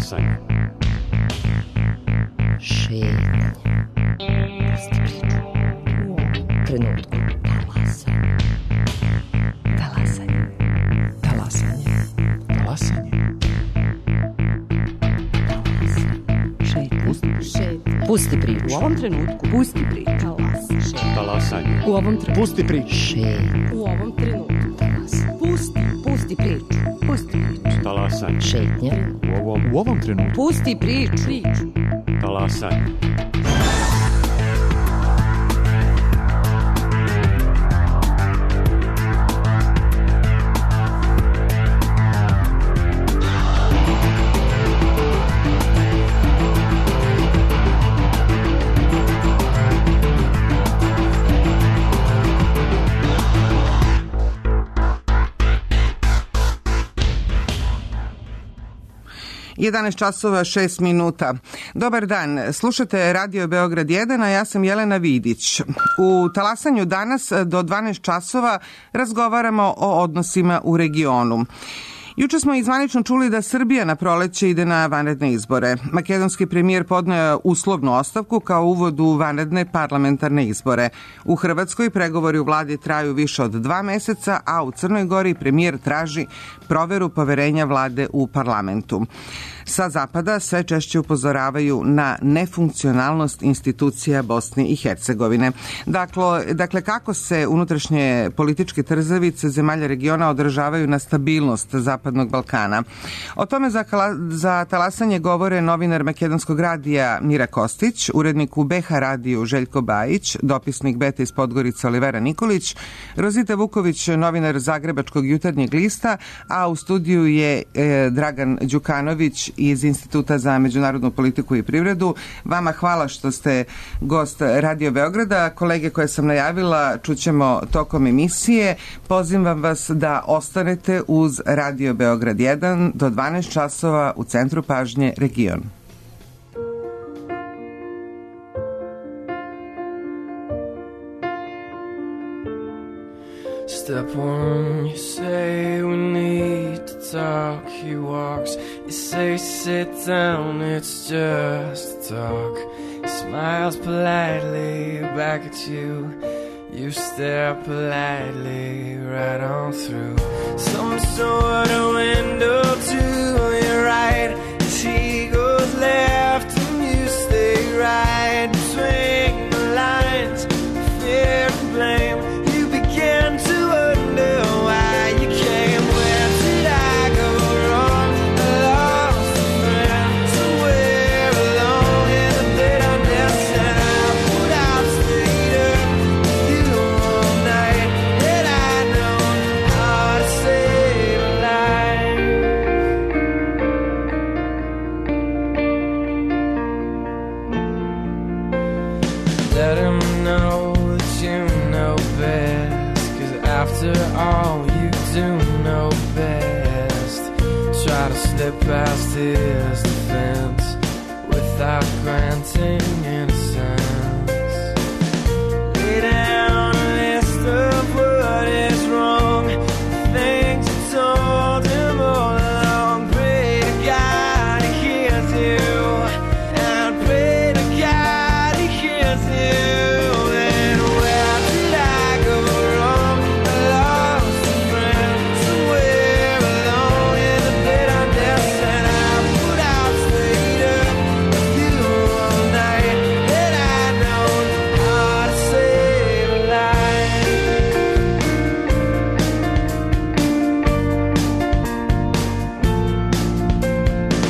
Talasanje. Šetnje. Pusti priču. U ovom trenutku. Talasanje. Talasanje. Talasanje. Talasanje. Pusti priču. U ovom trenutku. Pusti priču. Talasanje. U ovom trenutku. Pusti priču. U ovom trenutku. Pusti priču. Pusti priču. Talasanje. Šetnja. U ovom trenutku. Pusti priču. Talasanje. Jedanaest časova 6 minuta. Dobar dan, slušate Radio Beograd 1, a ja sam Jelena Vidić. U Talasanju danas do 12 časova razgovaramo o odnosima u regionu. Juče smo izvanično čuli da Srbija na proleće ide na vanredne izbore. Makedonski premijer podneo uslovnu ostavku kao uvod u vanredne parlamentarne izbore. U Hrvatskoj pregovori u vladi traju više od 2 meseca, a u Crnoj Gori premijer traži proveru poverenja vlade u parlamentu. Sa zapada sve češće upozoravaju na nefunkcionalnost institucija Bosne i Hercegovine. Dakle, kako se unutrašnje političke trzavice zemalja regiona odražavaju na stabilnost Zapadnog Balkana? O tome za Talasanje govore novinar Makedonskog radija Mira Kostić, urednik u BH radiju Željko Bajić, dopisnik Beta iz Podgorice Olivera Nikolić, Rozita Vuković, novinar Zagrebačkog jutarnjeg lista, a u studiju je Dragan Đukanović iz Instituta za međunarodnu politiku i privredu. Vama hvala što ste gost Radio Beograda. Kolege koje sam najavila čućemo tokom emisije. Pozivam vas da ostanete uz Radio Beograd 1 do 12 časova u centru pažnje region. Step one, you say we need to talk. He walks, you say sit down, it's just talk. He smiles politely back at you. You stare politely right on through some sort of window to your right. As he goes left and you stay right between the lines, fear and blame. You begin to wonder why you came. Where did I go wrong? I lost a friend somewhere along in the bitterness, and I put out later you all night. Had I known how to save a life, let him know that you know best. 'Cause after all, you do know best. Try to slip past his defense without granting innocence. Lay down a list of what is wrong, things you told him all along. Pray to God he hears you, and pray to God he hears you. And where did I go wrong? I lost a friend somewhere along in the bitterness, and I put out later you all night. Had I known how to save a life.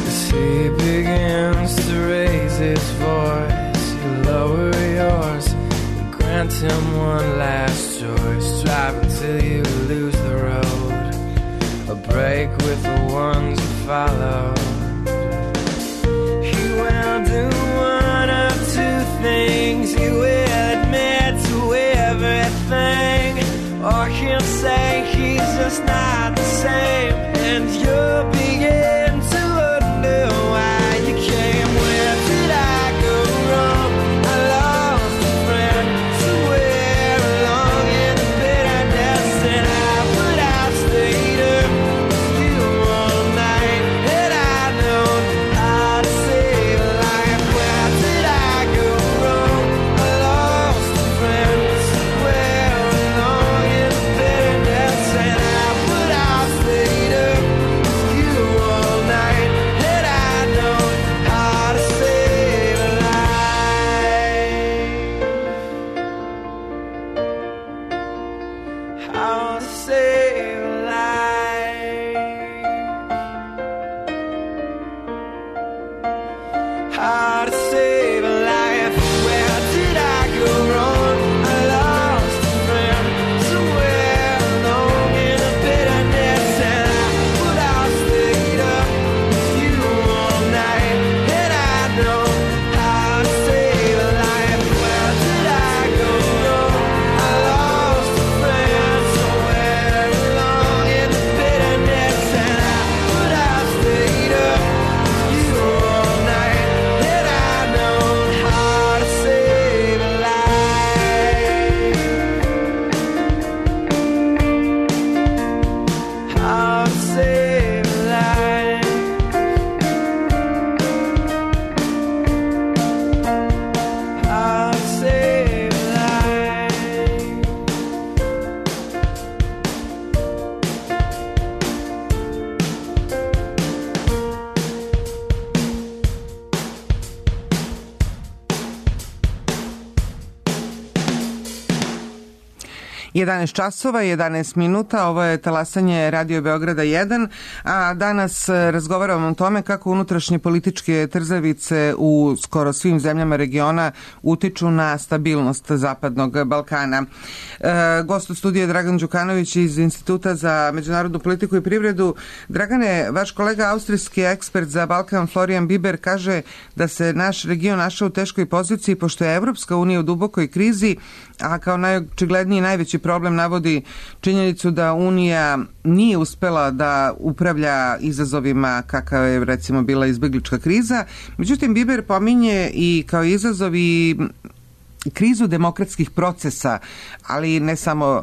As he begins to raise his voice, you lower yours and grant him one last choice. Drive until you lose the road, a break with the ones you follow. He will do one of two things. He will admit to everything, or he'll say he's just not the same, and you'll begin to wonder why you came. Where did I go wrong? I lost a friend somewhere along in the bitterness, and I put out later you all night. Had I known how to save a life, how to save a life. Where did I go wrong? I lost a friend somewhere alone in the bitterness, and I would have stayed up with you all night, and I know how to save a life. Where did I go wrong? I lost a friend somewhere alone in the bitterness, and I would have stayed up with you all night, and I know how to save a life, how to save a life, how to save a life. Jedanaest časova, 11 minuta, ovo je talasanje Radio Beograda 1, a danas razgovaramo o tome kako unutrašnje političke trzavice u skoro svim zemljama regiona utiču na stabilnost Zapadnog Balkana. Gost u studiju je Dragan Đukanović iz Instituta za međunarodnu politiku i privredu. Dragane, vaš kolega austrijski ekspert za Balkan Florian Biber kaže da se naš region našao u teškoj poziciji pošto je Evropska unija u dubokoj krizi, a kao najočigledniji i najveći problem navodi činjenicu da Unija nije uspela da upravlja izazovima kakav je recimo bila izbeglička kriza. Međutim, Biber pominje i kao izazov i krizu demokratskih procesa, ali ne samo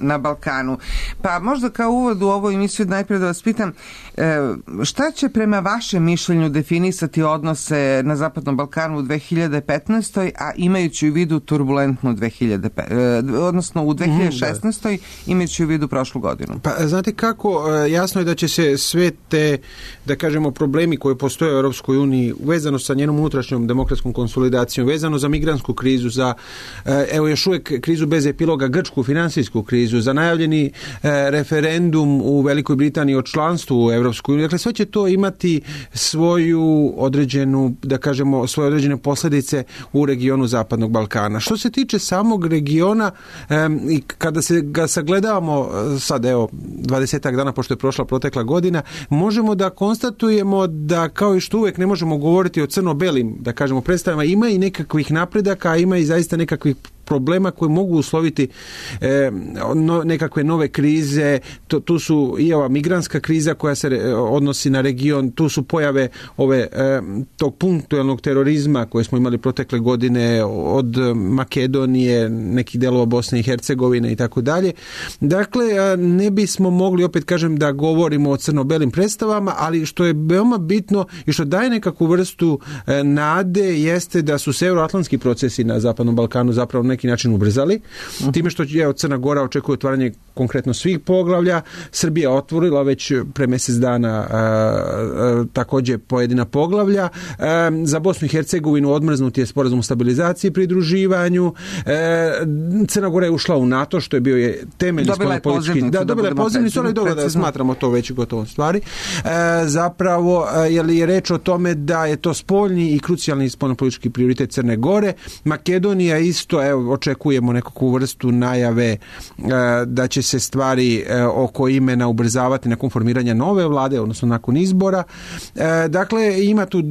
na Balkanu. Pa možda kao uvod u ovu emisiju najprije da vas pitam, šta će prema vašem mišljenju definisati odnose na Zapadnom Balkanu u 2015. a imajući u vidu turbulentnu 2016. imajući u vidu prošlu godinu? Pa znate kako, jasno je da će se sve te, da kažemo, problemi koji postoje u Europskoj uniji vezano sa njenom unutrašnjom demokratskom konsolidacijom, vezano za migrantsku krizu, za evo još uvijek krizu bez epiloga, grčku finansijsku krizu, za najavljeni referendum u Velikoj Britaniji o članstvu u Europskoj uniji. Dakle, sve će to imati svoju određenu, da kažemo, svoje određene posljedice u regionu Zapadnog Balkana. Što se tiče samog regiona i kada se ga sagledavamo sad, evo, 20 dana pošto je prošla protekla godina, možemo da konstatujemo da kao i što uvijek ne možemo govoriti o crno-belim, da kažemo, predstavama, ima i nekakvih napredaka, ima i zaista nekakvih problema koji mogu usloviti nekakve nove krize. Tu su i ova migrantska kriza koja se odnosi na region, tu su pojave tog punktualnog terorizma koje smo imali protekle godine od Makedonije, nekih delova Bosne i Hercegovine i tako dalje. Dakle, ne bismo mogli, opet kažem, da govorimo o crno-belim predstavama, ali što je veoma bitno i što daje nekakvu vrstu nade jeste da su se euroatlantski procesi na Zapadnom Balkanu zapravo na neki način ubrzali. Time što Crna Gora očekuje otvaranje konkretno svih poglavlja, Srbija otvorila već pre mjesec dana također pojedina poglavlja. Za Bosnu i Hercegovinu odmrznut je sporazum o stabilizaciji i pridruživanju. Crna Gora je ušla u NATO, što je bio temelj spoljnopolitički. Dobila je pozivnicu, ali dobro da smatramo to već gotovo stvari. Zapravo, jer je reč o tome da je to spoljni i krucijalni spoljnopolitički prioritet Crne Gore. Makedonija isto, evo, očekujemo nekakvu vrstu najave da će se stvari oko imena ubrzavati nakon formiranja nove vlade, odnosno nakon izbora. Dakle, ima tu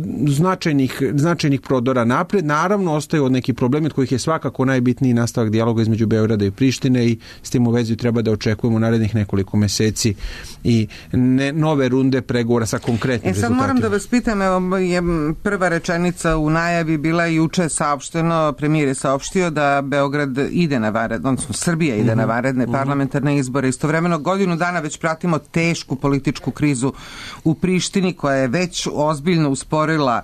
značajnih prodora napred. Naravno, ostaju od neki problemi od kojih je svakako najbitniji nastavak dijaloga između Beograda i Prištine i s tim u vezi treba da očekujemo narednih nekoliko mjeseci i nove runde pregovora sa konkretnim rezultatima. Sad moram da vas pitam, evo, je prva rečenica u najavi bila juče saopšteno, premijer je saopštio da Beograd ide na vanredne, odnosno Srbija ide na vanredne parlamentarne izbore. Istovremeno godinu dana već pratimo tešku političku krizu u Prištini koja je već ozbiljno usporila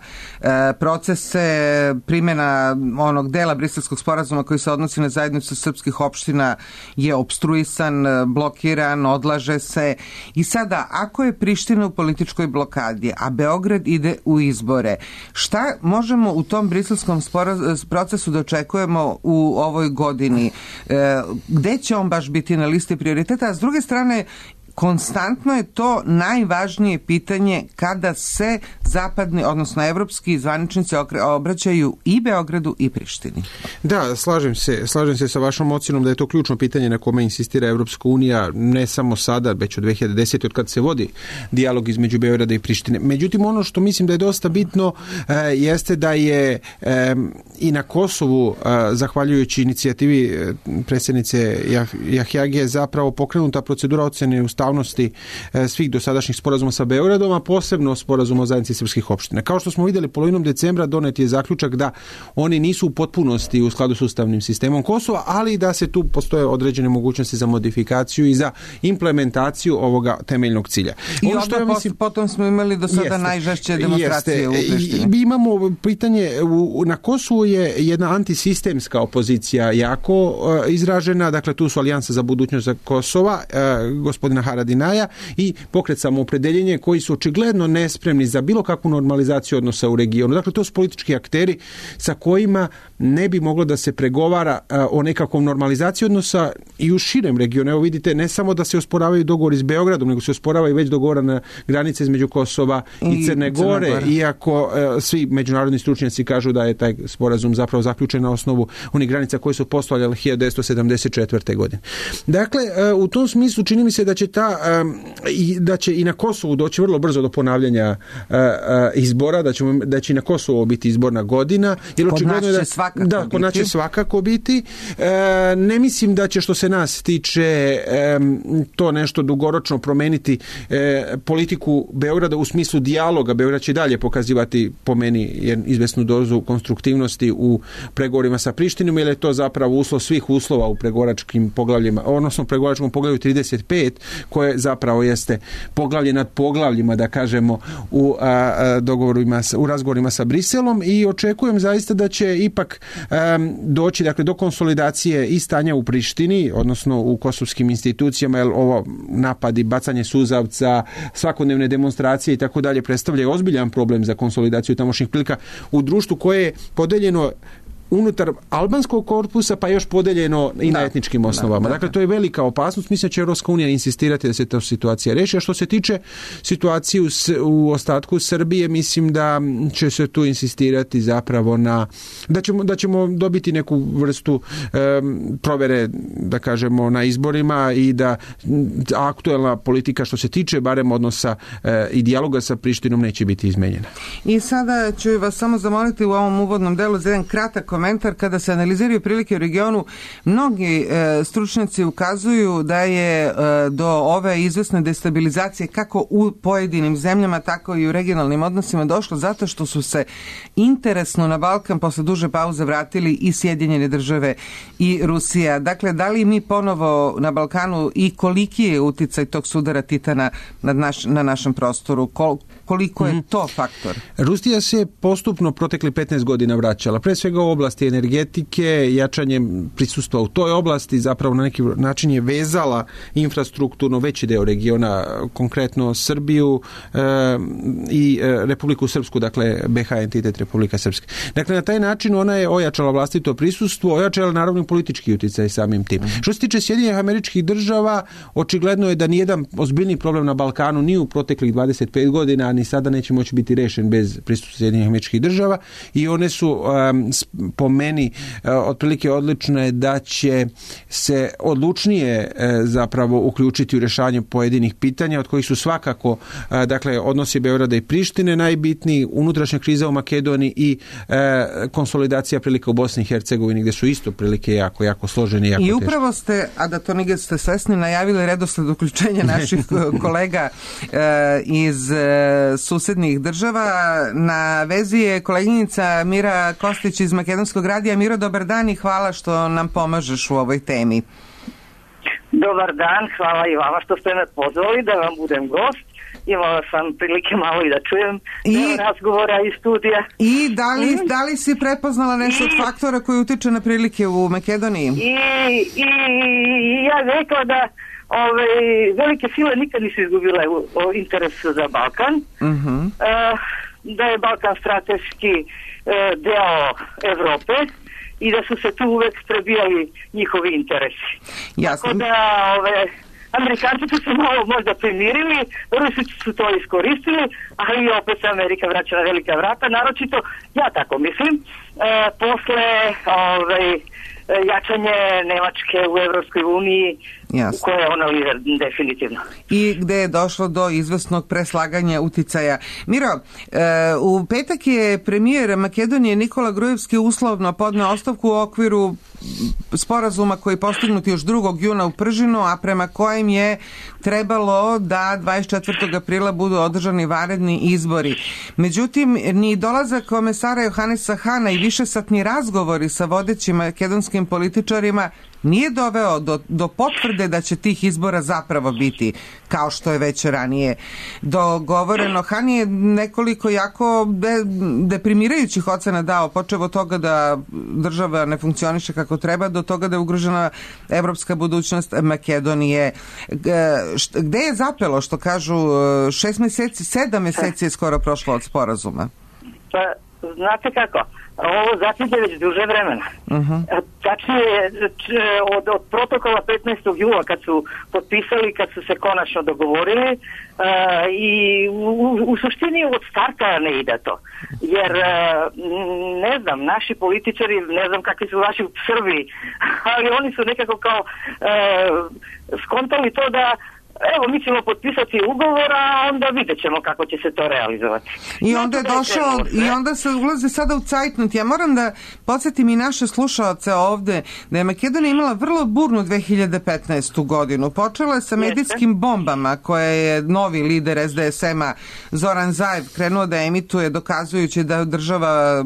procese. Primjena onog dela Briselskog sporazuma koji se odnosi na zajednicu srpskih opština je opstruisan, blokiran, odlaže se. I sada, ako je Priština u političkoj blokadi, a Beograd ide u izbore, šta možemo u tom briselskom procesu da očekujemo u u ovoj godini. Gde će on baš biti na listi prioriteta? A s druge strane, konstantno je to najvažnije pitanje kada se zapadni, odnosno evropski zvaničnici obraćaju i Beogradu i Prištini. Da, slažem se sa vašom ocjenom da je to ključno pitanje na kome insistira Evropska unija, ne samo sada, već od 2010. od kad se vodi dijalog između Beograda i Prištine. Međutim, ono što mislim da je dosta bitno jeste da je i na Kosovu, zahvaljujući inicijativi predsjednice Jahjagije, zapravo pokrenuta procedura ocjene ustavnosti svih dosadašnjih sporazuma sa Beogradom, a posebno sporazuma o zajednici srpskih opština. Kao što smo vidjeli, polovinom decembra donet je zaključak da oni nisu u potpunosti u skladu s ustavnim sistemom Kosova, ali da se tu postoje određene mogućnosti za modifikaciju i za implementaciju ovoga temeljnog cilja. I potom smo imali do sada najžešće demonstracije u Prištini. Imamo pitanje, na Kosovu je jedna antisistemska opozicija jako izražena, dakle tu su Alijansa za budućnost za Kosova, gospodina Haradinaja, i Pokret Samoopredeljenje, koji su očigledno nespremni za bilo kakvu normalizaciju odnosa u regionu. Dakle, to su politički akteri sa kojima ne bi moglo da se pregovara o nekakvom normalizaciji odnosa i u širem regionu. Evo vidite, ne samo da se osporavaju dogovori s Beogradom, nego se osporavaju već dogovorene granice između Kosova i Crne Gore, iako svi međunarodni stručnjaci kažu da je taj sporazum zapravo zaključen na osnovu onih granica koje su postojale 1974. godine. Dakle, u tom smislu čini mi se da će i na Kosovu doći vrlo brzo do ponavljanja izbora, da će i na Kosovu biti izborna godina. Kod nas će svakako biti. Ne mislim da će, što se nas tiče, to nešto dugoročno promeniti politiku Beograda u smislu dijaloga. Beograd će dalje pokazivati, po meni, izvesnu dozu konstruktivnosti u pregovorima sa Prištinom, jer je to zapravo uslov svih uslova u pregovaračkim poglavljima, odnosno pregovaračkom poglavlju 35, koje zapravo jeste poglavlje nad poglavljima, da kažemo, u razgovorima sa Briselom, i očekujem zaista da će ipak doći, dakle, do konsolidacije i stanja u Prištini, odnosno u kosovskim institucijama, jer ovo napadi, bacanje suzavca, svakodnevne demonstracije i tako dalje predstavljaju ozbiljan problem za konsolidaciju tamošnjih prilika u društvu koje je podeljeno unutar albanskog korpusa, pa još podeljeno i na etničkim osnovama. Dakle, to je velika opasnost. Mislim da će Europska unija insistirati da se ta situacija reši. A što se tiče situacije u ostatku Srbije, mislim da će se tu insistirati zapravo da ćemo dobiti neku vrstu provere, da kažemo, na izborima, i da aktuelna politika, što se tiče barem odnosa i dijaloga sa Prištinom, neće biti izmenjena. I sada ću vas samo zamoliti u ovom uvodnom delu za jedan kratak komentar. Kada se analiziraju prilike u regionu, mnogi stručnjaci ukazuju da je do ove izvesne destabilizacije kako u pojedinim zemljama, tako i u regionalnim odnosima došlo zato što su se interesno na Balkan posle duže pauze vratili i Sjedinjene Države i Rusija. Dakle, da li mi ponovo na Balkanu i koliki je uticaj tog sudara Titana na našem prostoru? Koliko je to faktor? Rusija se postupno protekli 15 godina vraćala. Pre svega u oblasti energetike, jačanjem prisustva u toj oblasti, zapravo na neki način je vezala infrastrukturno veći deo regiona, konkretno Srbiju i Republiku Srpsku, dakle BH entitet Republika Srpska. Dakle, na taj način ona je ojačala vlastito prisustvo, ojačala naravno politički utjecaj samim tim. Što se tiče Sjedinjenih Američkih Država, očigledno je da nijedan ozbiljni problem na Balkanu ni u proteklih 25 godina, ni sada neće moći biti rešen bez prisustva Sjedinjenih Američkih Država, i one su po meni otprilike odlične da će se odlučnije zapravo uključiti u rješavanje pojedinih pitanja, od kojih su svakako, dakle, odnosi Beograda i Prištine najbitniji, unutrašnja kriza u Makedoniji i konsolidacija prilika u Bosni i Hercegovini, gdje su isto prilike jako složene i jako teške. I upravo ste, a da to nigdje ste svesni, najavili redosled uključenja naših kolega iz susednih država. Na vezi je koleginica Mira Kostić iz Makedonskog radija. Miro, dobar dan i hvala što nam pomažeš u ovoj temi. Dobar dan, hvala i vama što ste me pozvali da vam budem gost. Imala sam prilike malo i da čujem razgovora iz studija. I da li si prepoznala nešto od faktora koji utiče na prilike u Makedoniji? I ja rekla da velike sile nikad nisu izgubile interes za Balkan. Da je Balkan strateški deo Evrope i da su se tu uvek prebijali njihovi interesi. Jasno. Tako da Amerikanci su se malo možda primirili, Rusi su to iskoristili, ali opet se Amerika vraća na velika vrata, naročito, ja tako mislim, posle jačanje Nemačke u Evropskoj uniji, u kojoj je ona lider definitivno. I gde je došlo do izvesnog preslaganja uticaja. Miro, u petak je premijer Makedonije Nikola Grujevski uslovno podneo ostavku u okviru sporazuma koji je postignut još 2. juna u Pržinu, a prema kojem je trebalo da 24. aprila budu održani vanredni izbori. Međutim, ni dolazak komesara Johanesa Hana i višesatni razgovori sa vodećim makedonskim političarima nije doveo do potvrde da će tih izbora zapravo biti, kao što je već ranije dogovoreno. Han je nekoliko jako deprimirajućih ocena dao, počev od toga da država ne funkcioniše kako treba, do toga da je ugrožena evropska budućnost Makedonije. Gde je zapelo, što kažu, 6 meseci, 7 meseci je skoro prošlo od sporazuma? Pa, znate kako, ovo zatim je već duže vremena. Tačnije, od protokola 15. jula kad su potpisali, kad su se konačno dogovorili, i u suštini od starta ne ide to. Jer, ne znam, naši političari, ne znam kakvi su vaši u Srbiji, ali oni su nekako kao skontali to da evo, mi ćemo potpisati ugovor, a onda vidjet ćemo kako će se to realizovati. I onda je došao, i onda se ulazi sada u cajtnut. Ja moram da podsjetim i naše slušaoce ovde da je Makedonija imala vrlo burnu 2015. godinu. Počela je sa medijskim bombama koje je novi lider SDSM-a Zoran Zaev krenuo da emituje, dokazujući da država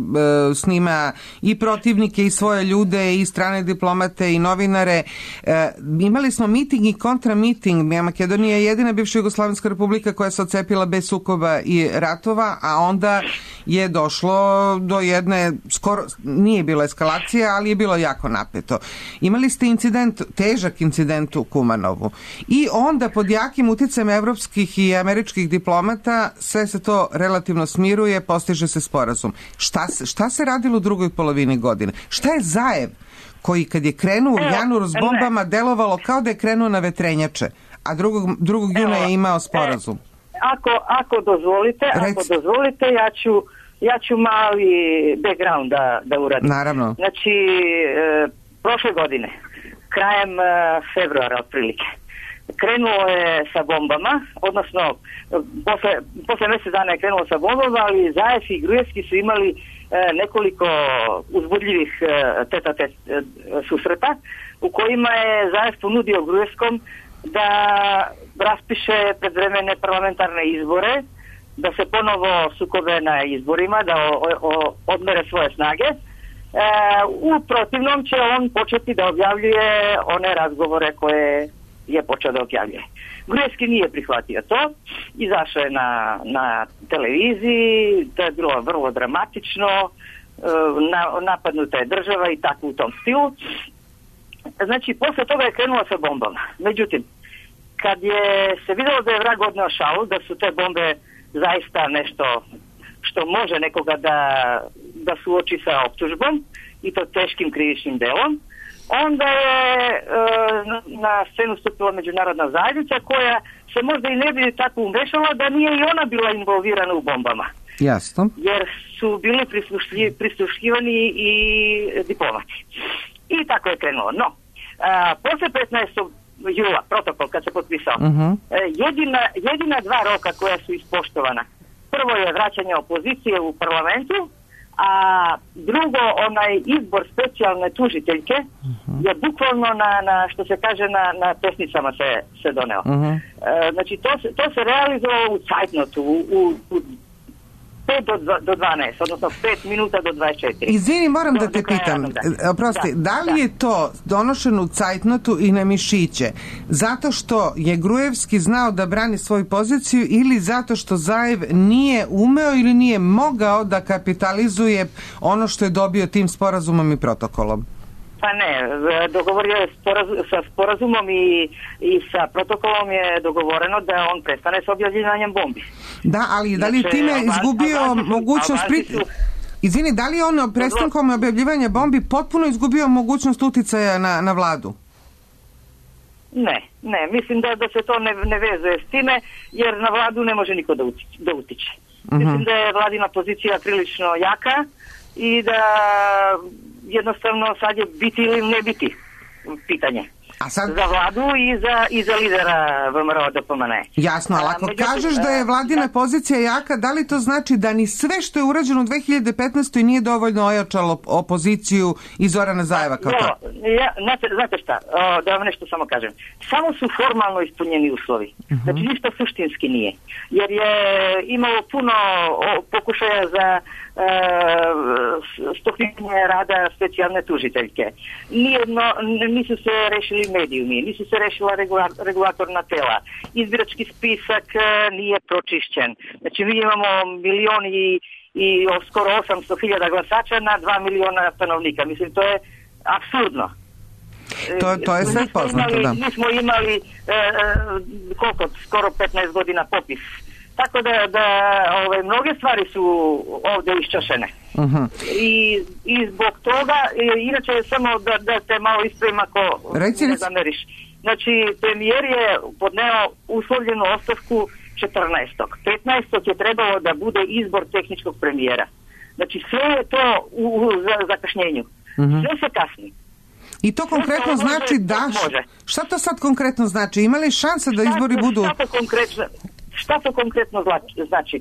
snima i protivnike i svoje ljude i strane diplomate i novinare. Imali smo miting i kontramiting. Makedonija je jedina bivša Jugoslavijska republika koja se odcepila bez sukoba i ratova, a onda je došlo do jedne, skoro nije bilo eskalacije, ali je bilo jako napeto. Imali ste incident, težak incident u Kumanovu. I onda pod jakim uticajem evropskih i američkih diplomata sve se to relativno smiruje, postiže se sporazum. Šta se radilo u drugoj polovini godine? Šta je Zaev koji kad je krenuo u januaru s bombama delovalo kao da je krenuo na vetrenjače, a 2. juna je imao sporazum? Ako dozvolite, ja ću mali background da uradim. Naravno. Znači, prošle godine, krajem februara otprilike, krenulo je sa bombama, odnosno posle mjesec dana je krenulo sa bombama, ali Zaev i Grujevski su imali nekoliko uzbudljivih tete susreta u kojima je Zaev ponudio Grujevskom da raspiše predvremene parlamentarne izbore, da se ponovo sukobe na izborima, da odmere svoje snage. U protivnom će on početi da objavljuje one razgovore koje je počeo da objavljuje. Grujevski nije prihvatio to, izašao je na televiziji, to je bilo vrlo dramatično, napadnuta je država i tako u tom stilu. Znači, posle toga je krenulo sa bombama. Međutim, kad je se vidjelo da je vrag odneo šalu, da su te bombe zaista nešto što može nekoga da suoči sa optužbom i to teškim krivičnim delom, onda je na scenu stupila međunarodna zajednica koja se možda i ne bi tako umešala da nije i ona bila involvirana u bombama. Jasno. Jer su bili prisluškivani i diplomati. I tako je krenulo. No, posle 15. jula, protokol kad se potpisao, jedina dva roka koja su ispoštovana. Prvo je vraćanje opozicije u parlamentu, a drugo, onaj izbor specijalne tužiteljke je bukvalno na što se kaže na pesnicama se doneo. Znači to se realizovalo u cajtnotu, u 5 do 12, odnosno 5 minuta do 24. Izvini, moram da te pitam, oprosti, da li je to donošeno u cajtnotu i na mišiće zato što je Grujevski znao da brani svoju poziciju ili zato što Zaev nije umeo ili nije mogao da kapitalizuje ono što je dobio tim sporazumom i protokolom? Pa ne, dogovorio je sa sporazumom i sa protokolom je dogovoreno da on prestane s objavljivanjem bombi. Da, ali da li time izgubio mogućnost Izvini, da li je on prestankom objavljivanja bombi potpuno izgubio mogućnost uticaja na vladu? Ne, mislim da se to ne vezuje s time, jer na vladu ne može niko da utiče. Mislim da je vladina pozicija prilično jaka i da jednostavno sad je biti ili ne biti pitanje. Za vladu i za lidera VMRO DPMNE. Jasno, ali ako kažeš da je vladina pozicija jaka, da li to znači da ni sve što je urađeno u 2015. nije dovoljno ojačalo opoziciju i Zorana Zajeva kao to? Znate šta, da vam nešto samo kažem. Samo su formalno ispunjeni uslovi. Znači ništa suštinski nije. Jer je imalo puno pokušaja za stopnjenje rada specijalne tužiteljke. Nisu se rešili medijumi, nisu se rešila regulatorna tela. Izbirački spisak nije pročišćen. Znači mi imamo 1.000.000 i skoro 800.000 glasača na 2 miliona stanovnika. Mislim, to je apsurdno. To je sve poznato, da. Mi smo imali skoro 15 godina popis. Tako da mnoge stvari su ovdje iščašene. I zbog toga, inače samo da te malo ispravim ako ne zameriš. Znači, premijer je podneo uslovljenu ostavku 14. 15. je trebalo da bude izbor tehničkog premijera. Znači, sve je to u zakašnjenju. Sve se kasni. I to konkretno znači da... Šta to sad konkretno znači? Ima li šanse da izbori budu... Šta to konkretno znači?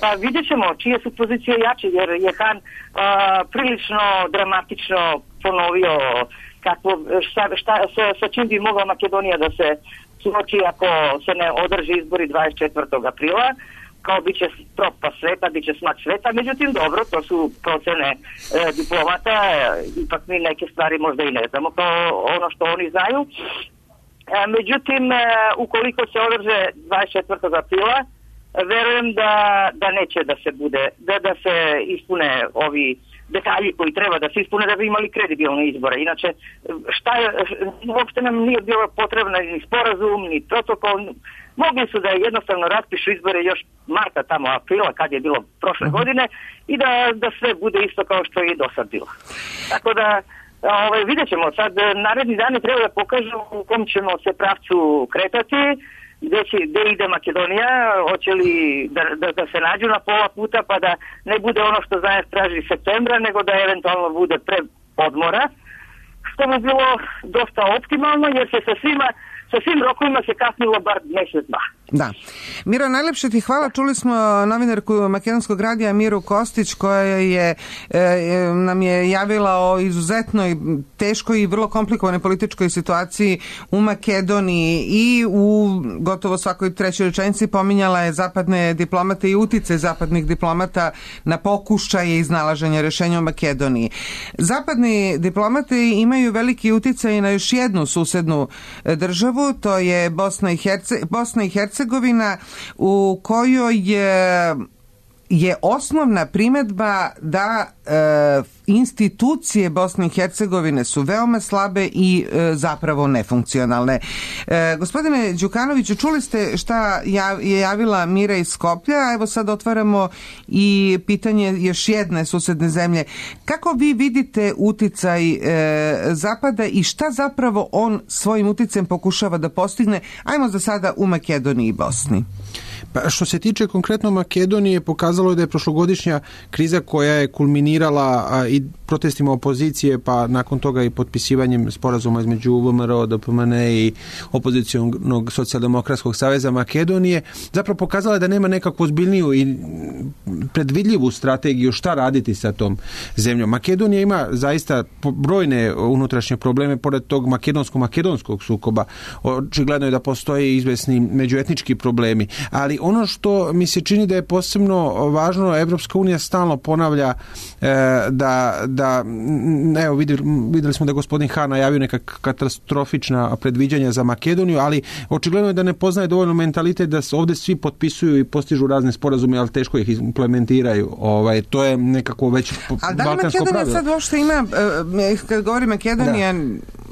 Pa vidjet ćemo čije su pozicije jače, jer je Han prilično dramatično ponovio sa čim bi mogla Makedonija da se suoči ako se ne održi izbori 24. aprila, kao bit će propast sveta, bit će smak sveta, međutim dobro, to su procene diplomata, ipak mi neke stvari možda i ne znamo kao ono što oni znaju. Međutim, ukoliko se održe 24. aprila, verujem da neće da se ispune ovi detalji koji treba da se ispune da bi imali kredibilne izbore. Inače, uopšte nam nije bilo potrebno ni sporazum, ni protokol. Mogli su da jednostavno raspišu izbore još marta, tamo aprila, kad je bilo prošle godine, i da sve bude isto kao što je i do sad bilo. Tako da, vidjet ćemo sad, naredni dani treba da kažu u kom ćemo se pravcu kretati, gde ide Makedonija, hoće li da se nađu na pola puta pa da ne bude ono što Zajev traži septembra, nego da eventualno bude pre odmora, što bi bilo dosta optimalno jer se sa svim rokovima se kasnilo bar mjesec, dva. Da. Miro, najlepše ti hvala. Čuli smo novinarku Makedonskog radija Miru Kostić koja nam je javila o izuzetnoj teškoj i vrlo komplikovanoj političkoj situaciji u Makedoniji i u gotovo svakoj trećoj rečenici pominjala je zapadne diplomate i uticaj zapadnih diplomata na pokušaje iznalaženja rješenja u Makedoniji. Zapadni diplomati imaju veliki uticaj na još jednu susednu državu, to je Bosna i Hercegovina, u kojoj je osnovna primjedba da institucije Bosne i Hercegovine su veoma slabe i zapravo nefunkcionalne. Gospodine Đukanoviću, čuli ste šta je javila Mira iz Skoplja, a evo sad otvaramo i pitanje još jedne susedne zemlje. Kako vi vidite uticaj Zapada i šta zapravo on svojim uticajem pokušava da postigne, ajmo za sada u Makedoniji i Bosni? Pa što se tiče konkretno Makedonije, pokazalo je da je prošlogodišnja kriza koja je kulminirala i protestima opozicije, pa nakon toga i potpisivanjem sporazuma između VMRO, DPMNE i opozicionog socijaldemokratskog saveza Makedonije, zapravo pokazala je da nema nekakvu ozbiljniju i predvidljivu strategiju šta raditi sa tom zemljom. Makedonija ima zaista brojne unutrašnje probleme, pored tog makedonskog sukoba. Očigledno je da postoje izvesni međuetnički problemi, ali ono što mi se čini da je posebno važno, Evropska unija stalno ponavlja da da evo vidjeli smo da je gospodin Hahn najavio neka katastrofična predviđanja za Makedoniju, ali očigledno je da ne poznaje dovoljno mentalitet da se ovdje svi potpisuju i postižu razne sporazume, ali teško ih implementiraju. To je nekako već balkansko pravilo. Ali da li Makedonija sad uopšte ima, kad govori Makedonija,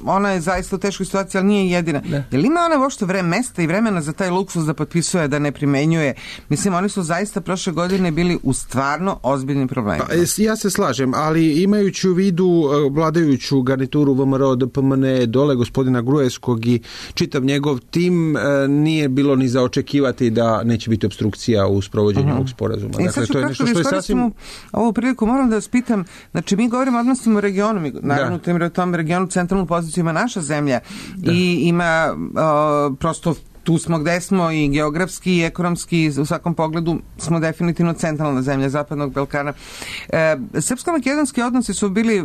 ona je zaista u teškoj situaciji, ali nije jedina. Je li ima ona uopšte mesta i vremena za taj luksuz da potpisuje, da ne primenjuje? Mislim, oni su zaista prošle godine bili u stvarno ozbiljnim problemima. Ja se slažem, ali imajući u vidu vladajuću garnituru VMRO, DPMN, dole gospodina Gruevskog i čitav njegov tim, nije bilo ni za očekivati da neće biti obstrukcija u sprovođenju ovog sporazuma. Dakle, to je nešto što je sasvim... Ovu priliku moram da vas pitam, znači mi govorimo o odnosima u regionu, mi naravno u tom regionu centralnu poziciju ima naša zemlja i ima prosto tu smo gde smo i geografski i ekonomski, u svakom pogledu smo definitivno centralna zemlja Zapadnog Balkana. Srpsko-makedonski odnosi su bili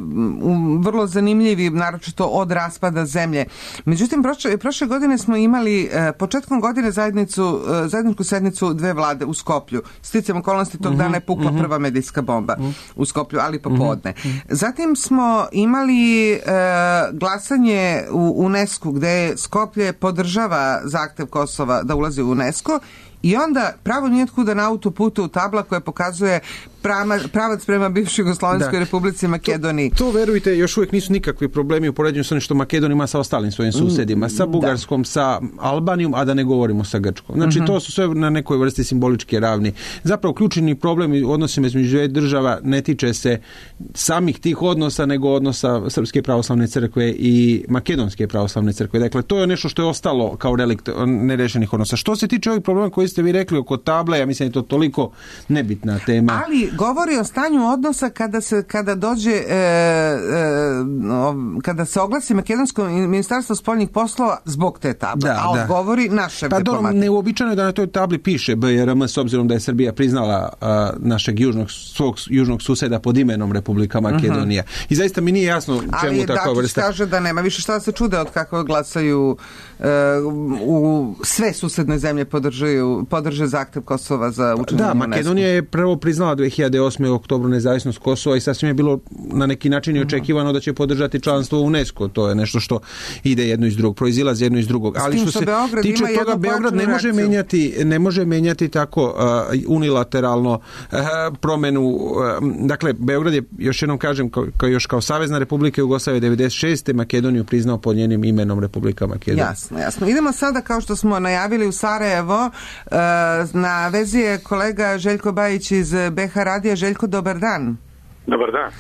vrlo zanimljivi, naročito od raspada zemlje. Međutim, prošle godine smo imali početkom godine zajedničku sednicu dve vlade u Skoplju. Sticajem okolnosti tog dana je pukla prva medijska bomba u Skoplju, ali popodne. Zatim smo imali glasanje u UNESCO gde Skoplje podržava zahtev Kosova da ulazi u UNESCO i onda pravo nijetkuda na autoputu tabla koja pokazuje pravac prema bivšoj Jugoslovenskoj republici Makedoniji. To verujte, još uvijek nisu nikakvi problemi u poređenju sa onim što Makedonija ima sa ostalim svojim susedima, sa Bugarskom, sa Albanijom, a da ne govorimo sa Grčkom. Znači, to su sve na nekoj vrsti simboličke ravni. Zapravo, ključni problem u odnosima između dvije država ne tiče se samih tih odnosa, nego odnosa Srpske pravoslavne crkve i Makedonske pravoslavne crkve. Dakle, to je nešto što je ostalo kao relikt nerešenih odnosa. Što se tiče ovih problema koji ste vi rekli oko table, ja mislim da je to toliko nebitna tema. Ali govori o stanju odnosa kada se oglasi Makedonsko ministarstvo spoljnih poslova zbog te table, govori naše diplomatije. Neuobičajeno je da na toj tabli piše BRM, s obzirom da je Srbija priznala našeg svog južnog suseda pod imenom Republika Makedonija. I zaista mi nije jasno čemu takva vrsta. Ali kaže da nema više šta da se čude od kako glasaju u sve susedne zemlje podrže zahtev Kosova za učlanjenje u UNESCO. Makedonija je prvo priznala 2008. u oktobru nezavisnost Kosova i sasvim je bilo na neki način i očekivano da će podržati članstvo u UNESCO. To je nešto što ide jedno iz drugog, proizilazi jedno iz drugog. Ali što se tiče toga, Beograd ne može menjati tako unilateralno promjenu. Dakle, Beograd je, još jednom kažem, još kao Savezna Republika Jugoslavije 96. Makedoniju priznao pod njenim imenom Republika Makedonija. Jasno. Idemo sada, kao što smo najavili, u Sarajevo. Na vezi je kolega Željko Bajić iz BH Radija. Željko, dobar dan. Dobar dan.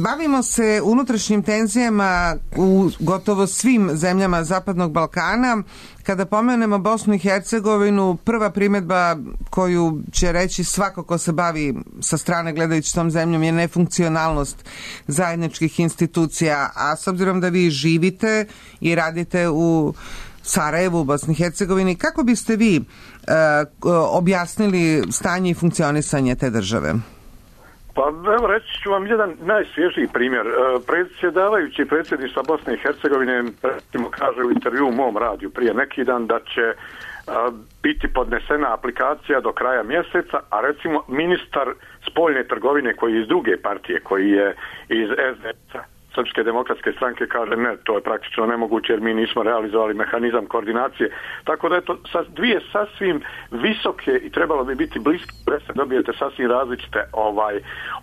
Bavimo se unutrašnjim tenzijama u gotovo svim zemljama Zapadnog Balkana. Kada pomenemo Bosnu i Hercegovinu, prva primjedba koju će reći svako ko se bavi sa strane gledajući tom zemljom je nefunkcionalnost zajedničkih institucija, a s obzirom da vi živite i radite u Sarajevu, u Bosni i Hercegovini, kako biste vi objasnili stanje i funkcionisanje te države? Pa evo reći ću vam jedan najsvježiji primjer. Predsjedavajući predsjedništva Bosne i Hercegovine kaže u intervju u mom radiju prije neki dan da će biti podnesena aplikacija do kraja mjeseca, a recimo ministar spoljne trgovine koji je iz druge partije, koji je iz SDS-a, Srpske demokratske stranke, kaže ne, to je praktično nemoguće jer mi nismo realizovali mehanizam koordinacije. Tako da je to dvije sasvim visoke i trebalo bi biti bliske, dobijete sasvim različite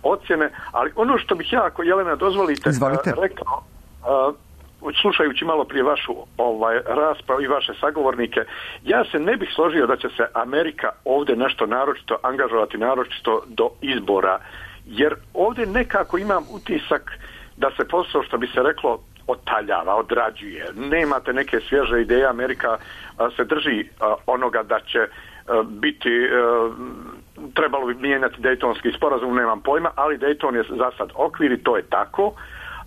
ocjene, ali ono što bih ja, ako Jelena dozvolite, rekao, slušajući malo prije vašu raspravu i vaše sagovornike, ja se ne bih složio da će se Amerika ovdje nešto naročito angažovati, naročito do izbora, jer ovdje nekako imam utisak da se posao, što bi se reklo, otaljava, odrađuje. Nemate neke svježe ideje. Amerika se drži onoga da će biti, trebalo bi mijenjati Dejtonski sporazum, nemam pojma, ali Dejton je za sad okvir i to je tako,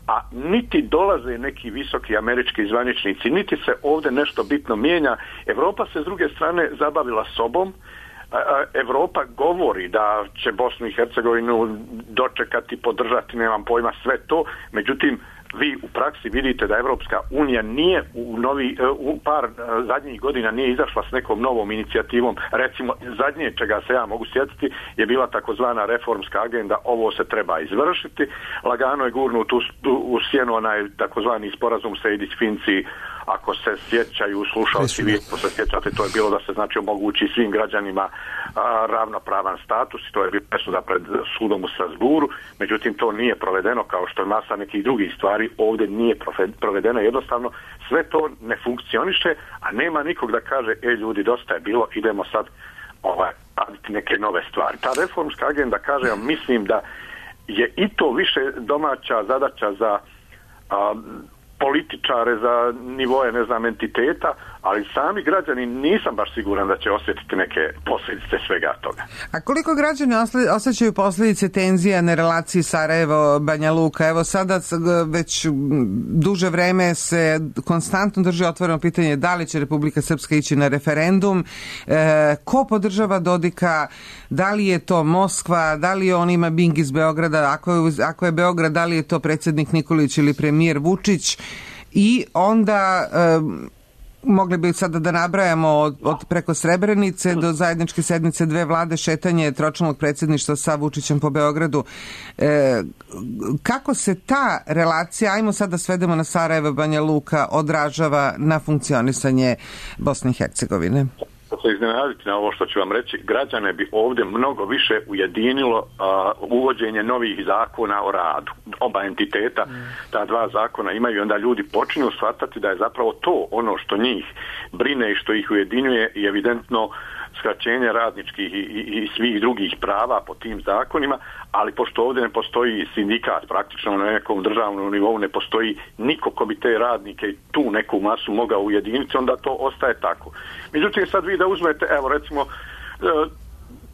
a niti dolaze neki visoki američki zvaničnici, niti se ovdje nešto bitno mijenja. Europa se s druge strane zabavila sobom. Europa govori da će Bosnu i Hercegovinu dočekati, podržati, nemam pojma, sve to, međutim vi u praksi vidite da Evropska unija nije u par zadnjih godina nije izašla s nekom novom inicijativom. Recimo, zadnje čega se ja mogu sjetiti je bila takozvana reformska agenda, ovo se treba izvršiti. Lagano je gurnut u sjenu onaj takozvani sporazum Sejdić-Finci, ako se sjećaju slušalci, vi ako se sjećate, to je bilo da se znači omogući svim građanima ravnopravan status i to je bilo presuda pred sudom u Strasburu, međutim to nije provedeno kao što je masa nekih drugih stvari ovdje nije provedeno, jednostavno sve to ne funkcioniše, a nema nikog da kaže ljudi dosta je bilo, idemo sad raditi neke nove stvari. Ta reformska agenda, kažem, mislim da je i to više domaća zadaća za političare, za nivoje, ne znam, entiteta, ali sami građani nisam baš siguran da će osjetiti neke posljedice svega toga. A koliko građani osjećaju posljedice tenzija na relaciji Sarajevo-Banja Luka? Evo sada već duže vreme se konstantno drži otvoreno pitanje da li će Republika Srpska ići na referendum, ko podržava Dodika, da li je to Moskva, da li on ima bing iz Beograda, ako je Beograd, da li je to predsjednik Nikolić ili premijer Vučić, i onda mogli bi sada da nabrajamo od preko Srebrenice do zajedničke sednice dve vlade, šetanje tročlanog predsjedništva sa Vučićem po Beogradu. Kako se ta relacija, ajmo sad da svedemo na Sarajevo, Banja Luka, odražava na funkcionisanje Bosne i Hercegovine? Se iznenaditi na ovo što ću vam reći, građane bi ovdje mnogo više ujedinilo uvođenje novih zakona o radu. Oba entiteta, ta dva zakona imaju, onda ljudi počinju shvatati da je zapravo to ono što njih brine i što ih ujedinjuje i evidentno skraćenje radničkih i svih drugih prava po tim zakonima, ali pošto ovdje ne postoji sindikat, praktično na nekom državnom nivou ne postoji niko ko bi te radnike i tu neku masu mogao ujediniti, onda to ostaje tako. Međutim, sad vi da uzmete, evo recimo,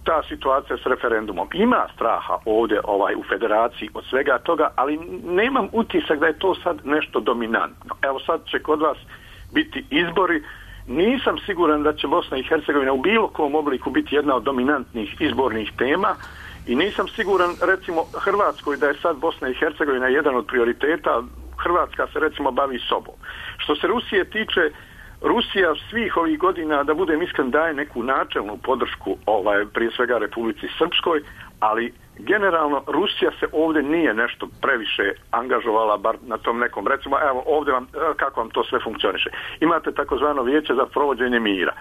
ta situacija s referendumom. Ima straha ovdje u federaciji od svega toga, ali nemam utisak da je to sad nešto dominantno. Evo sad će kod vas biti izbori. Nisam siguran da će Bosna i Hercegovina u bilo kom obliku biti jedna od dominantnih izbornih tema i nisam siguran recimo Hrvatskoj da je sad Bosna i Hercegovina jedan od prioriteta. Hrvatska se recimo bavi sobom. Što se Rusije tiče, Rusija svih ovih godina, da budem iskren, daje neku načelnu podršku prije svega Republici Srpskoj, ali generalno Rusija se ovdje nije nešto previše angažovala, bar na tom nekom, recimo, evo ovdje kako vam to sve funkcioniše. Imate takozvano vijeće za provođenje mira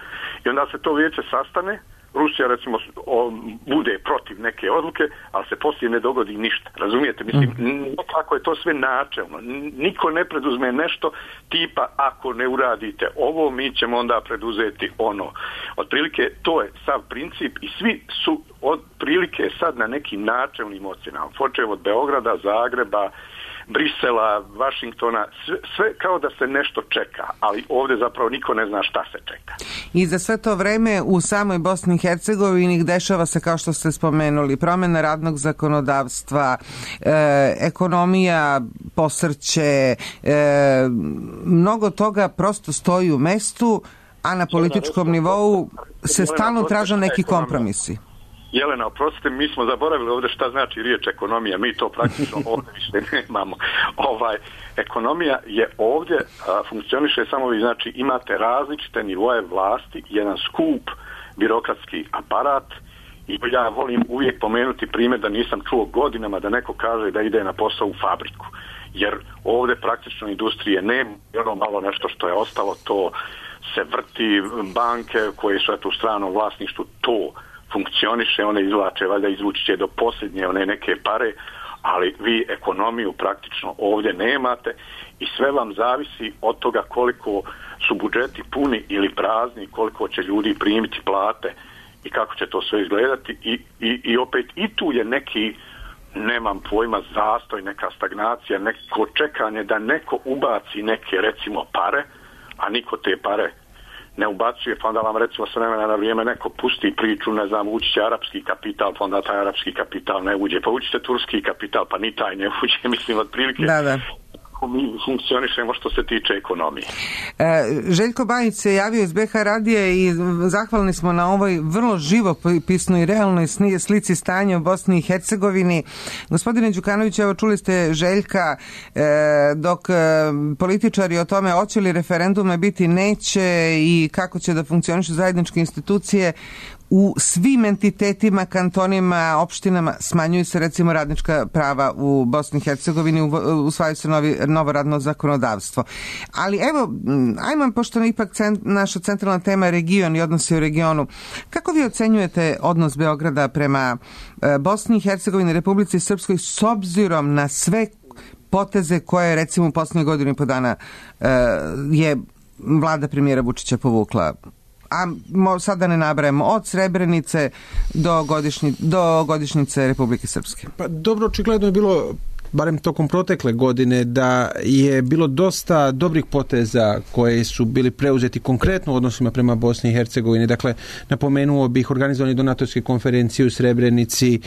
i onda se to vijeće sastane, Rusija recimo bude protiv neke odluke, ali se poslije ne dogodi ništa. Razumijete? Mislim, kako je to sve načelno. Niko ne preduzme nešto tipa ako ne uradite ovo, mi ćemo onda preduzeti ono. Otprilike to je sav princip i svi su otprilike sad na nekim načelnim ocjenama. Počev od Beograda, Zagreba, Brisela, Vašingtona, sve kao da se nešto čeka, ali ovdje zapravo niko ne zna šta se čeka. I za sve to vreme u samoj Bosni i Hercegovini dešava se, kao što ste spomenuli, promjena radnog zakonodavstva, ekonomija posrće, mnogo toga prosto stoji u mestu, a na političkom nivou se stalno traže neki kompromisi. Jelena, oprostite, mi smo zaboravili ovdje šta znači riječ ekonomija, mi to praktično ovdje više nemamo. Ekonomija je ovdje, funkcioniše samo vi, znači imate različite nivoje vlasti, jedan skup birokratski aparat i ja volim uvijek pomenuti primjer da nisam čuo godinama da neko kaže da ide na posao u fabriku, jer ovdje praktično industrije nema, ono malo nešto što je ostalo, to se vrti, banke koje su u stranom vlasništvu, to funkcioniše, one izvlače, valjda izvući će do posljednje one neke pare, ali vi ekonomiju praktično ovdje nemate i sve vam zavisi od toga koliko su budžeti puni ili prazni, koliko će ljudi primiti plate i kako će to sve izgledati i opet i tu je neki, nemam pojma, zastoj, neka stagnacija, neko čekanje da neko ubaci neke recimo pare, a niko te pare ne ubacuje, pa onda vam recimo s vremena na vrijeme neko pusti priču, ne znam, ući će arapski kapital, pa onda taj arapski kapital ne uđe, pa ući će turski kapital, pa ni taj ne uđe, mislim, otprilike. Da. kako mi funkcionišemo što se tiče ekonomije. Željko Bajić se javio iz BH radija i zahvalni smo na ovoj vrlo živopisnoj i realnoj slici stanja u Bosni i Hercegovini. Gospodine Đukanović, evo čuli ste Željka, dok političari o tome hoće li referendume biti, neće i kako će da funkcionišu zajedničke institucije, u svim entitetima, kantonima, opštinama smanjuju se recimo radnička prava u Bosni i Hercegovini, usvajaju se novo radno zakonodavstvo. Ali evo, ajmo, pošto je ipak naša centralna tema region i odnosi u regionu, kako vi ocenjujete odnos Beograda prema Bosni i Hercegovini, Republici Srpskoj, s obzirom na sve poteze koje recimo u posljednjih godinu i po dana je vlada premijera Vučića povukla? A sad da ne nabrajamo, od Srebrenice do godišnjice Republike Srpske. Pa dobro, očigledno je bilo, barem tokom protekle godine, da je bilo dosta dobrih poteza koje su bili preuzeti konkretno u odnosima prema Bosni i Hercegovini. Dakle, napomenuo bih organizovanje donatorske konferencije u Srebrenici,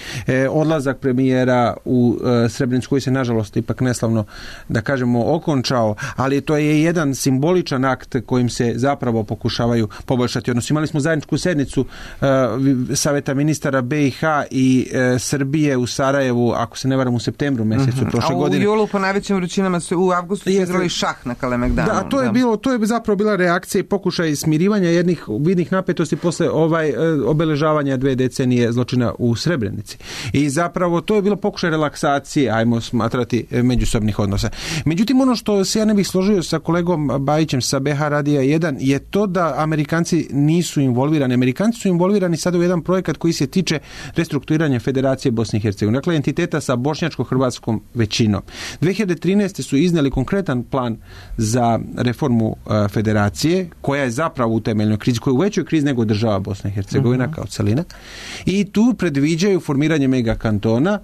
odlazak premijera u Srebrenicu koji se nažalost ipak neslavno, da kažemo, okončao, ali to je jedan simboličan akt kojim se zapravo pokušavaju poboljšati odnos. Imali smo zajedničku sednicu Saveta ministara BiH i Srbije u Sarajevu, ako se ne varam, u septembru mjesecu prošle godine. A u julu po najvećim vrućinama u avgustu su igrali šah na Kalemegdanu. Da, to je zapravo bila reakcija i pokušaj smirivanja jednih vidnih napetosti posle obeležavanja 2 decenije zločina u Srebrenici. I zapravo to je bilo pokušaj relaksacije, ajmo smatrati, međusobnih odnosa. Međutim, ono što se ja ne bih složio sa kolegom Bajićem sa BH Radija 1 je to da Amerikanci nisu involvirani. Amerikanci su involvirani sada u jedan projekat koji se tiče restrukturiranja Federacije Bosne i Hercegovine. Dakle, entiteta sa bošnjačko-hrvatskom većinom. 2013. su iznijeli konkretan plan za reformu federacije, koja je zapravo u temeljnoj krizi, koja je u većoj krizi nego država Bosna i Hercegovina kao celina. I tu predviđaju formiranje megakantona,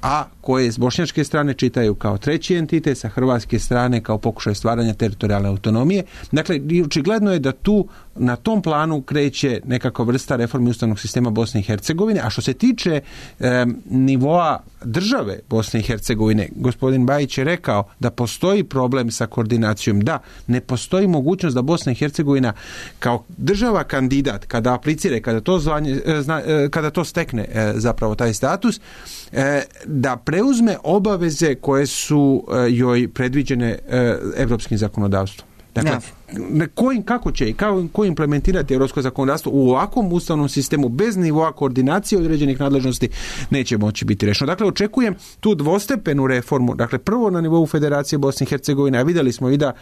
a koje s bošnjačke strane čitaju kao treći entitet, sa hrvatske strane kao pokušaj stvaranja teritorijalne autonomije. Dakle, očigledno je da tu na tom planu kreće nekakva vrsta reforme ustavnog sistema Bosne i Hercegovine, a što se tiče nivoa države Bosne i Hercegovine, gospodin Bajić je rekao da postoji problem sa koordinacijom. Da, ne postoji mogućnost da Bosna i Hercegovina kao država kandidat, kada aplicira, kada to stekne zapravo taj status, da preuzme obaveze koje su joj predviđene evropskim zakonodavstvom. Dakle, kako će i kako implementirati europsko zakonodavstvo u ovakvom ustavnom sistemu bez nivoa koordinacije određenih nadležnosti neće moći biti rešeno. Dakle, očekujem tu dvostepenu reformu. Dakle, prvo na nivou Federacije Bosne i Hercegovine, a vidjeli smo i da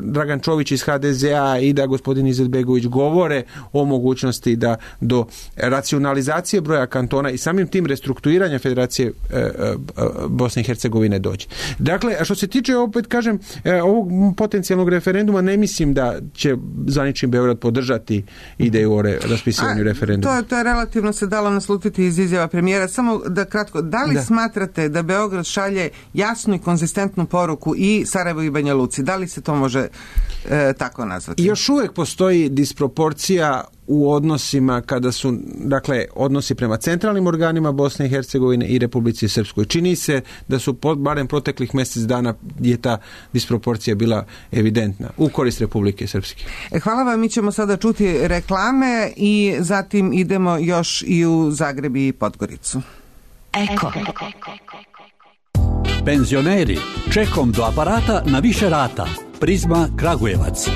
Dragan Čović iz HDZ-a i da gospodin Izetbegović govore o mogućnosti da do racionalizacije broja kantona i samim tim restrukturiranja Federacije Bosne i Hercegovine dođe. Dakle, što se tiče, opet kažem, ovog potencijalnog referenduma, ne mislim da će zvanični Beograd podržati ideju o raspisivanju referenduma. To je relativno se dalo naslutiti iz izjava premijera. Samo da kratko, da li smatrate da Beograd šalje jasnu i konzistentnu poruku i Sarajevu i Banja Luci? Da li se to može tako nazvati? Još uvijek postoji disproporcija u odnosima kada su, dakle, odnosi prema centralnim organima Bosne i Hercegovine i Republici Srpskoj. Čini se da su barem proteklih mjesec dana je ta disproporcija bila evidentna u korist Republike Srpske. Hvala vam, mi ćemo sada čuti reklame i zatim idemo još i u Zagreb i Podgoricu. Eko. Penzioneri, čekom do aparata na više rata. Prizma Kragujevac.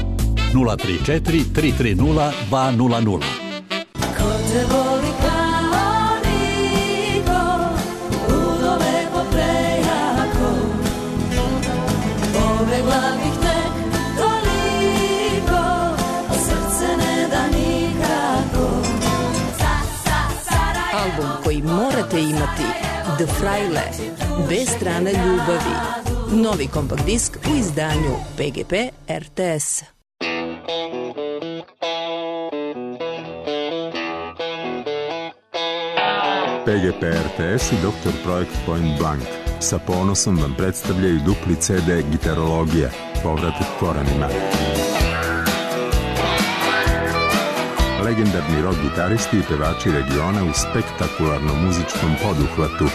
034 330 200. Ko te voli kao niko, ludo lepo prejako, pobegla bih tek toliko, srce ne da nikako. Album koji morate imati, The Fraile, bez strane ljubavi. Novi kompakt disk u izdanju PGP RTS. PGP RTS i Dr. Projekt Point Blank sa ponosom vam predstavljaju dupli CD Gitarologija, povratak korenima. Legendarni rock gitaristi i pevači regiona u spektakularnom muzičkom poduhvatu.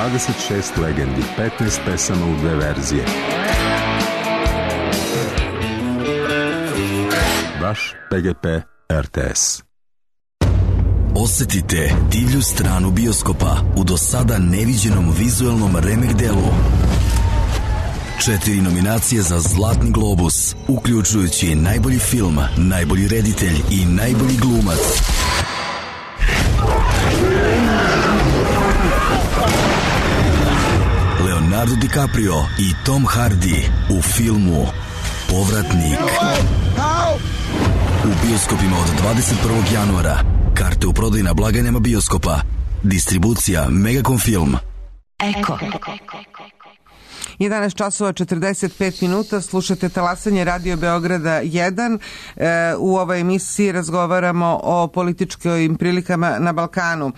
26 legendi, 15 pesama u 2 verzije. Vaš PGP RTS. Osetite divlju stranu bioskopa u do sada neviđenom vizuelnom remek delu. 4 nominacije za Zlatni globus, uključujući najbolji film, najbolji reditelj i najbolji glumac. Leonardo DiCaprio i Tom Hardy u filmu Povratnik. U bioskopima od 21. januara. Karte u prodaju na blagajnama bioskopa. Distribucija Megacom Film. Eko. 11 časova 45 minuta, slušate talasanje Radio Beograda 1. U ovoj emisiji razgovaramo o političkim prilikama na Balkanu.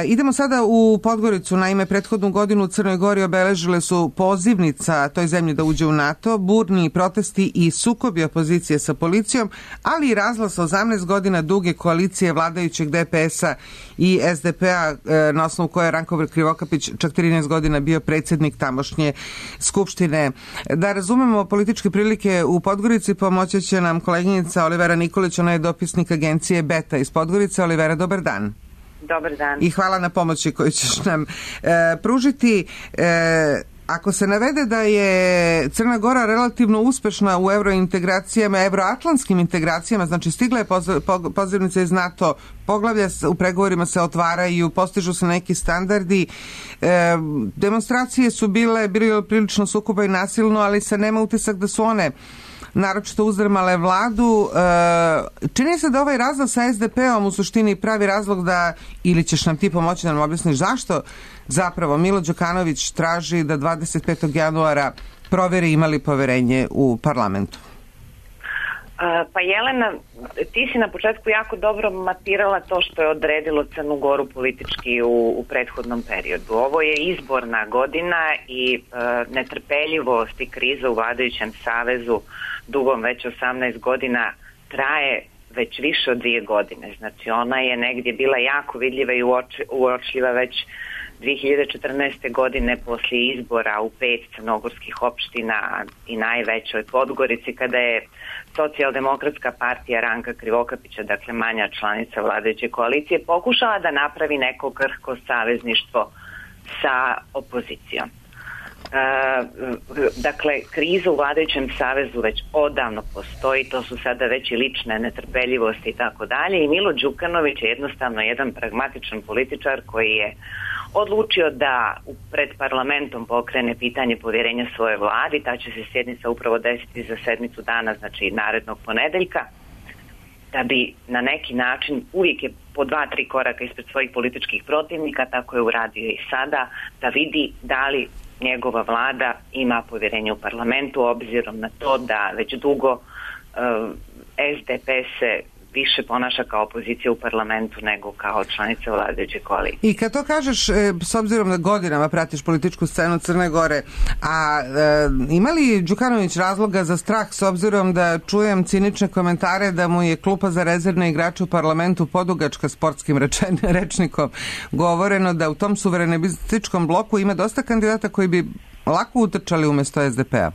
Idemo sada u Podgoricu. Naime, prethodnu godinu u Crnoj Gori obeležile su pozivnica toj zemlji da uđe u NATO, burni protesti i sukobi opozicije sa policijom, ali i razglas 18 godina duge koalicije vladajućeg DPS-a i SDP-a, na osnovu koje je Ranko Krivokapić čak 13 godina bio predsjednik tamošnje Skupštine. Da razumemo političke prilike u Podgorici, pomoći će nam koleginica Olivera Nikolić, ona je dopisnik agencije Beta iz Podgorice. Olivera, dobar dan. Dobar dan. I hvala na pomoći koju ćeš nam pružiti. Ako se navede da je Crna Gora relativno uspešna u eurointegracijama, euroatlantskim integracijama, znači stigla je pozivnica iz NATO, poglavlja u pregovorima se otvaraju, postižu se neki standardi, demonstracije su bile prilično sukoba i nasilno, ali se nema utisak da su one naročito uzdrmale vladu. Čini se da ovaj razlog sa SDP-om u suštini pravi razlog da, ili ćeš nam ti pomoći da nam objasniš zašto zapravo Milo Đukanović traži da 25. januara proveri imali poverenje u parlamentu? Pa Jelena, ti si na početku jako dobro mapirala to što je odredilo Crnu Goru politički u prethodnom periodu. Ovo je izborna godina i netrpeljivost i kriza u vladajućem savezu dugom već 18 godina traje već više od 2 godine. Znači ona je negdje bila jako vidljiva i uočljiva već 2014. godine poslije izbora u 5 crnogorskih opština i najvećoj Podgorici, kada je Socijaldemokratska partija Ranka Krivokapića, dakle manja članica vladajuće koalicije, pokušala da napravi neko krhko savezništvo sa opozicijom. Dakle, kriza u vladajućem savezu već odavno postoji, to su sada već i lične netrpeljivosti i tako dalje, i Milo Đukanović je jednostavno jedan pragmatičan političar koji je odlučio da pred parlamentom pokrene pitanje povjerenja svoje vladi. Ta će se sjednica upravo desiti za sedmicu dana, znači narednog ponedeljka, da bi na neki način, uvijek je po 2-3 koraka ispred svojih političkih protivnika, tako je uradio i sada, da vidi da li njegova vlada ima povjerenje u parlamentu, obzirom na to da već dugo SDP se više ponaša kao opozicija u parlamentu nego kao članica vladajuće koalicije. I kad to kažeš, s obzirom da godinama pratiš političku scenu Crne Gore, a ima li Đukanović razloga za strah, s obzirom da čujem cinične komentare da mu je klupa za rezervne igrače u parlamentu podugačka sportskim rečnikom, govoreno da u tom suverenističkom bloku ima dosta kandidata koji bi lako utrčali umjesto SDP-a?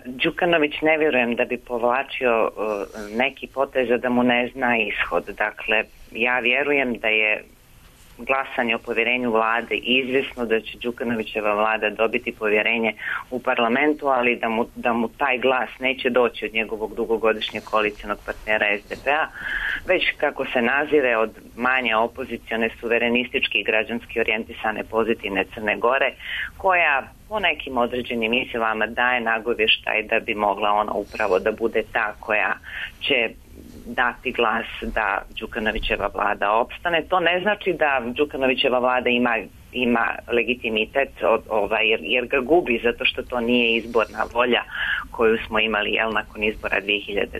Đukanović ne vjerujem da bi povlačio neki potez da mu ne zna ishod. Dakle, ja vjerujem da je glasanje o povjerenju vlade izvjesno, da će Đukanovićeva vlada dobiti povjerenje u parlamentu, ali da mu taj glas neće doći od njegovog dugogodišnjeg koalicionog partnera SDP-a, već kako se nazire od manje opozicione, suverenistički i građanski orijentisane pozitivne Crne Gore, koja po nekim određenim izjavama daje nagovještaj da bi mogla ona upravo da bude ta koja će dati glas da Đukanovićeva vlada opstane. To ne znači da Đukanovićeva vlada ima legitimitet jer ga gubi, zato što to nije izborna volja koju smo imali nakon izbora 2012.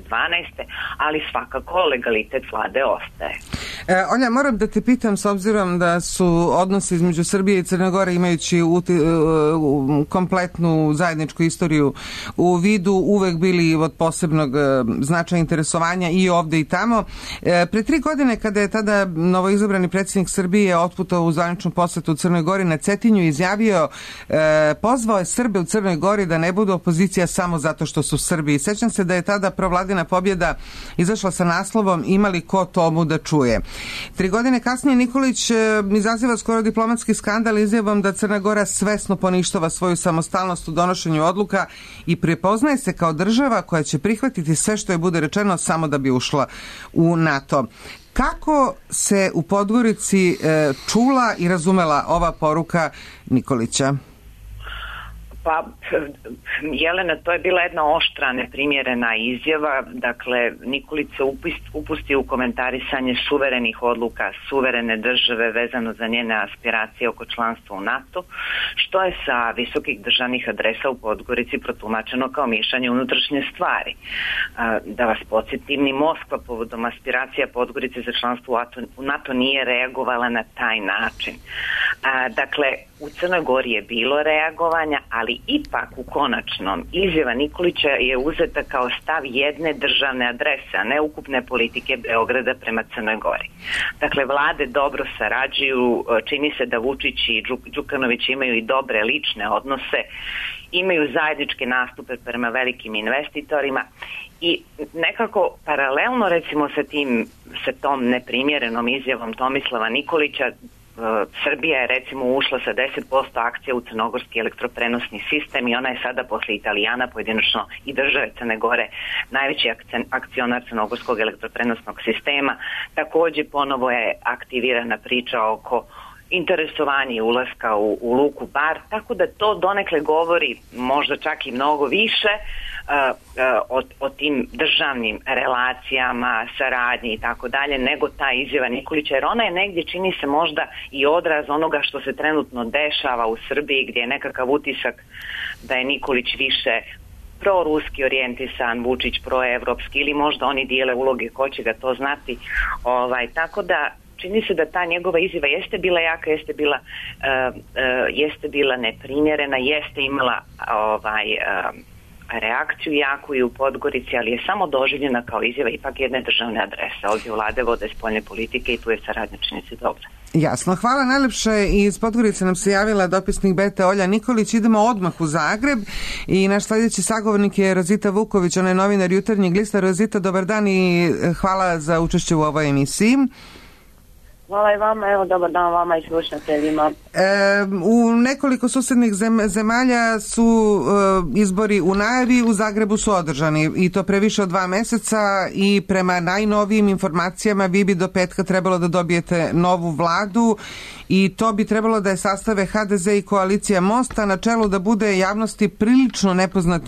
ali svakako legalitet vlade ostaje. Olja, moram da te pitam, s obzirom da su odnosi između Srbije i Crne Gore, imajući kompletnu zajedničku istoriju u vidu, uvek bili od posebnog značaja interesovanja i ovde i tamo. Pre 3 godine, kada je tada novoizabrani predsjednik Srbije otputao u zvaničnu posetu u Crnoj Gori, na Cetinju izjavio, pozvao je Srbe u Crnoj Gori da ne budu opozicija samo zato što su Srbi. Sećam se da je tada provladina pobjeda izašla sa naslovom "Imali ko tomu da čuje". 3 godine kasnije Nikolić izaziva skoro diplomatski skandal izjavom da Crna Gora svesno poništava svoju samostalnost u donošenju odluka i prepoznaje se kao država koja će prihvatiti sve što je bude rečeno samo da bi ušla u NATO. Kako se u Podgorici čula i razumela ova poruka Nikolića? Pa, Jelena, to je bila jedna oštra, neprimjerena izjava. Dakle, Nikolić se upusti u komentarisanje suverenih odluka suverene države vezano za njene aspiracije oko članstva u NATO, što je sa visokih državnih adresa u Podgorici protumačeno kao miješanje unutrašnje stvari. Da vas podsjetim, ni Moskva povodom aspiracija Podgorice za članstvo u NATO nije reagovala na taj način. Dakle, u Crnoj Gori je bilo reagovanja, ali ipak u konačnom izjava Nikolića je uzeta kao stav jedne državne adrese, a ne ukupne politike Beograda prema Crnoj Gori. Dakle, vlade dobro sarađuju, čini se da Vučić i Đukanović imaju i dobre lične odnose, imaju zajedničke nastupe prema velikim investitorima i nekako paralelno recimo sa tom neprimjerenom izjavom Tomislava Nikolića, Srbija je recimo ušla sa 10% akcija u crnogorski elektroprenosni sistem i ona je sada posle Italijana, pojedinačno i države Crne Gore, najveći akcionar crnogorskog elektroprenosnog sistema. Takođe ponovo je aktivirana priča oko interesovanje ulaska u Luku Bar, tako da to donekle govori možda čak i mnogo više o tim državnim relacijama, saradnji i tako dalje, nego ta izjava Nikolića, jer ona je negdje, čini se, možda i odraz onoga što se trenutno dešava u Srbiji, gdje je nekakav utisak da je Nikolić više proruski orijentisan, Vučić proevropski, ili možda oni dijele uloge, ko će ga to znati. Tako da čini se da ta njegova izjava jeste bila jaka, jeste bila neprimjerena, jeste imala reakciju jaku i u Podgorici, ali je samo doživljena kao izjava ipak jedne državne adrese. Ovdje vlade vode spoljne politike i tu je saradnja, čini se, dobra. Jasno, hvala najlepše. Iz Podgorice nam se javila dopisnik Bete Olja Nikolić. Idemo odmah u Zagreb i naš sljedeći sagovornik je Rozita Vuković, ona je novinar Jutarnjeg lista. Rozita, dobar dan i hvala za učešće u ovoj emisiji. Hvala i vama, evo dobar dan vama i slušateljima. U nekoliko susednih zemalja su izbori u najavi, u Zagrebu su održani i to pre više od 2 meseca i prema najnovijim informacijama vi bi do petka trebalo da dobijete novu vladu i to bi trebalo da je sastave HDZ i koalicija Mosta, na čelu da bude javnosti prilično nepoznat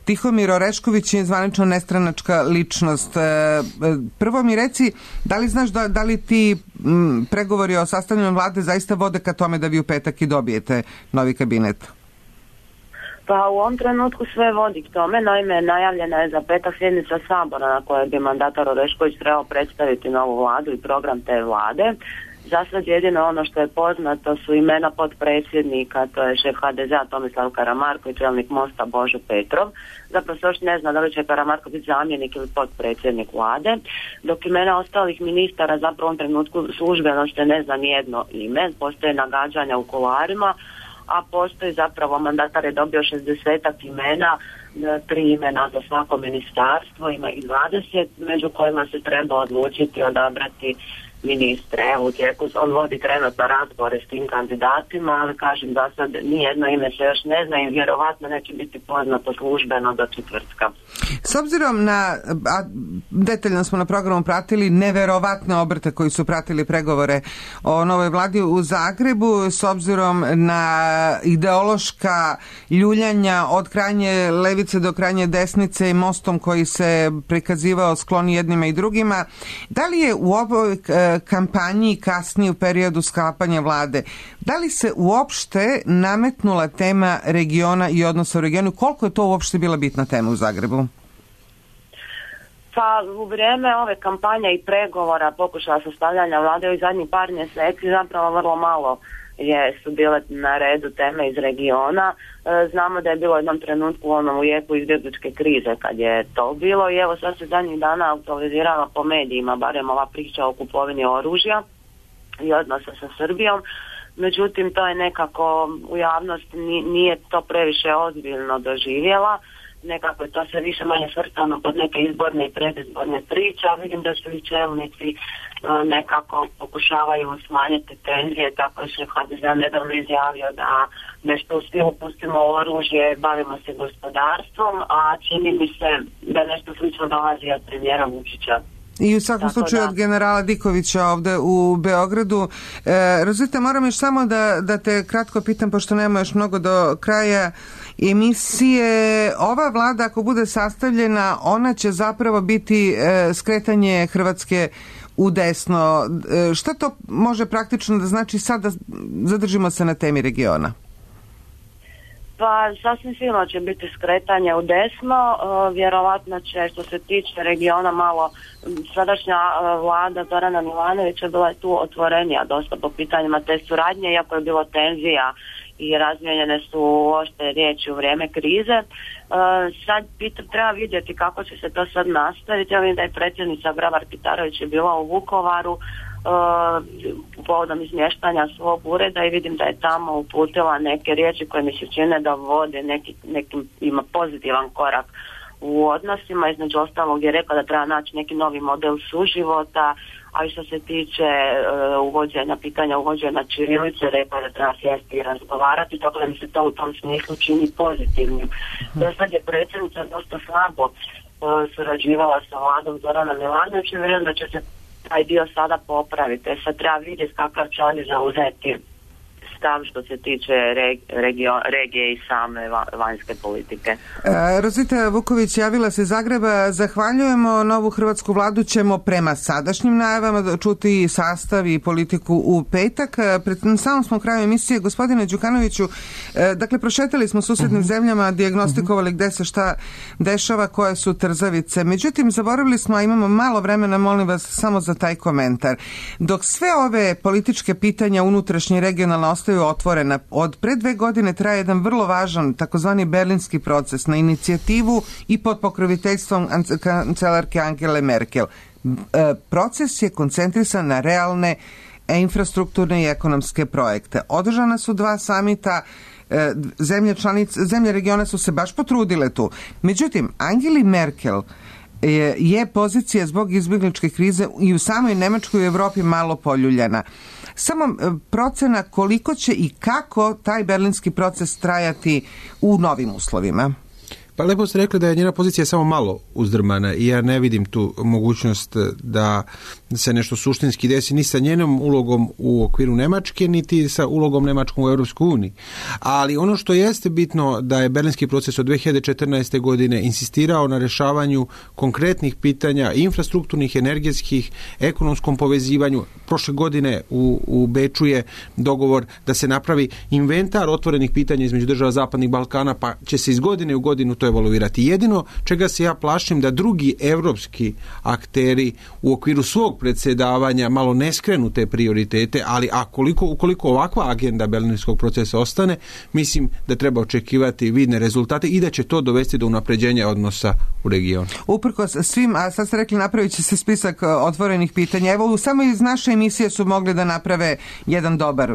Tihomir Orešković je zvanično nestranačka ličnost. Prvo mi reci, da li znaš da li ti pregovori o sastavljanju vlade zaista vode ka tome da vi u petak i dobijete novi kabinet? Pa u ovom trenutku sve vodi k tome, naime najavljena je za petak sjednica Sabora na kojoj bi mandatar Orešković trebao predstaviti novu vladu i program te vlade. Za sad jedino ono što je poznato su imena potpredsjednika, to je šef HDZ-a Tomislav Karamarko i čelnik Mosta Božo Petrov. Zapravo se još ne zna da li će Karamarko biti zamjenik ili potpredsjednik vlade, dok imena ostalih ministara zapravo u ovom trenutku službeno što ne zna nijedno ime, postoje nagađanja u kuloarima, a postoji zapravo, mandatar je dobio 60 imena, 3 imena za svako ministarstvo, ima ih 20, među kojima se treba odlučiti, odabrati ministre. Evo, u tijeku on vodi trenutno razgovore s tim kandidatima, ali kažem da sad nijedno ime se još ne zna i vjerovatno neće biti poznato službeno do četvrtka. S obzirom na, detaljno smo na programu pratili neverovatne obrte koji su pratili pregovore o novoj vladi u Zagrebu, s obzirom na ideološka ljuljanja od krajnje levice do krajnje desnice i Mostom koji se prikazivao skloni jednima i drugima. Da li je u ovoj kampanji kasnije u periodu sklapanja vlade, da li se uopšte nametnula tema regiona i odnosa u regionu? Koliko je to uopšte bila bitna tema u Zagrebu? Pa u vrijeme ove kampanje i pregovora, pokušaja sastavljanja vlade ovih zadnjih par mjeseci, zapravo vrlo malo su bile na redu teme iz regiona. Znamo da je bilo u jednom trenutku u jeku izbjegličke krize kad je to bilo i evo sad se zadnjih dana aktualizirala po medijima, barem ova priča o kupovini oružja i odnosa sa Srbijom. Međutim, to je nekako u javnosti nije to previše ozbiljno doživjela. Nekako je to sve više manje svrstano pod neke izborne i predizborne priče, a vidim da su i čelnici nekako pokušavaju smanjiti tenzije, tako što je HDZ nedavno izjavio da nešto u stilu pustimo oružje, bavimo se gospodarstvom, a čini mi se da nešto slično dolazi od premijera Vučića. I u svakom slučaju od generala Dikovića ovde u Beogradu. Rozita, moram još samo da te kratko pitam, pošto nema još mnogo do kraja emisije. Ova vlada, ako bude sastavljena, ona će zapravo biti skretanje Hrvatske u desno. Šta to može praktično da znači sad da zadržimo se na temi regiona? Pa sasvim sigurno će biti skretanje u desno, vjerovatno će što se tiče regiona malo sadašnja vlada Zorana Milanovića bila je tu otvorenija dosta po pitanjima te suradnje, iako je bilo tenzija i razmijenjene su oštre riječi u vrijeme krize. Sad treba vidjeti kako će se to sad nastaviti. Ja vidim da je predsjednica Grabar-Kitarović je bila u Vukovaru povodom izmještanja svog ureda i vidim da je tamo uputila neke riječi koje mi se čine da vode nekim ima pozitivan korak u odnosima. Između ostalog je rekla da treba naći neki novi model suživota, a i što se tiče pitanja uvođenja ćirilice, rekla da treba sjesti i razgovarati, tako da mi se to u tom smislu čini pozitivnim. Sad je predsjednica dosta slabo surađivala sa vladom Zorana Milanovića i vjerujem da će se taj dio sada popraviti. Sad treba vidjeti kakav će oni zauzeti stav što se tiče regije i same vanjske politike. Rozita Vuković javila se iz Zagreba. Zahvaljujemo. Novu hrvatsku vladu ćemo prema sadašnjim najavama čuti sastav i politiku u petak. Pred samom smo kraju emisije. Gospodine Đukanoviću, dakle, prošetali smo susednim zemljama, dijagnostikovali gde se šta dešava, koje su trzavice. Međutim, zaboravili smo, a imamo malo vremena, molim vas samo za taj komentar. Dok sve ove političke pitanja unutrašnje i regionalne ostaju otvorena, od pre 2 godine traje jedan vrlo važan takozvani berlinski proces na inicijativu i pod pokroviteljstvom kancelarke Angele Merkel. Proces je koncentrisan na realne infrastrukturne i ekonomske projekte. Održana su 2 samita, zemlje regiona su se baš potrudile tu. Međutim, Angeli Merkel je pozicija zbog izbjegličke krize i u samoj Nemačkoj i Evropi malo poljuljana. Samo procena koliko će i kako taj berlinski proces trajati u novim uslovima. Pa lepo ste rekli da je njena pozicija samo malo uzdrmana i ja ne vidim tu mogućnost da se nešto suštinski desi ni sa njenom ulogom u okviru Nemačke, niti sa ulogom Nemačkom u Europskoj uniji. Ali ono što jeste bitno da je berlinski proces od 2014. godine insistirao na rješavanju konkretnih pitanja infrastrukturnih, energetskih, ekonomskom povezivanju. Prošle godine u Beču je dogovor da se napravi inventar otvorenih pitanja između država Zapadnih Balkana, pa će se iz godine u godinu to evaluirati. Jedino čega se ja plašim da drugi evropski akteri u okviru svog predsjedavanja malo ne skrenu te prioritete, ali ukoliko ovakva agenda berlinskog procesa ostane, mislim da treba očekivati vidne rezultate i da će to dovesti do unapređenja odnosa u regionu. Uprkos svim, a sad ste rekli napravit će se spisak otvorenih pitanja. Evo, samo iz naše emisije su mogli da naprave jedan dobar